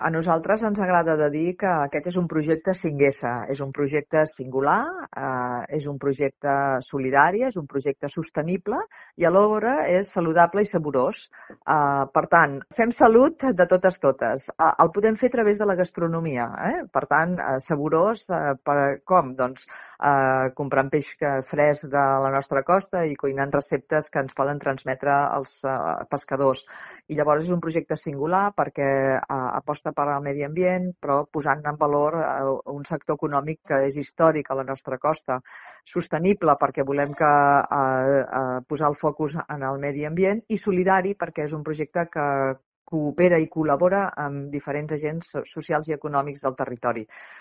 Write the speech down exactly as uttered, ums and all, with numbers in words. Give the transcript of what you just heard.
A nosaltres ens agrada de dir que aquest és un projecte cinc essa, és un projecte singular, eh, és un projecte solidari, és un projecte sostenible i alhora és saludable i saborós. Eh, per tant, fem salut de totes totes. Eh, el podem fer a través de la gastronomia. Eh? Per tant, eh, saborós, eh, per, com? Doncs eh, comprant peix fresc de la nostra costa i cuinant receptes que ens poden transmetre els eh, pescadors. I llavors és un projecte singular perquè eh, aposta per al medi ambient, però posant en valor eh, un sector econòmic que és històric a la nostra costa, sostenible perquè volem que eh, eh, posar el focus en el medi ambient i solidari perquè és un projecte que coopera i col·labora amb diferents agents socials i econòmics del territori.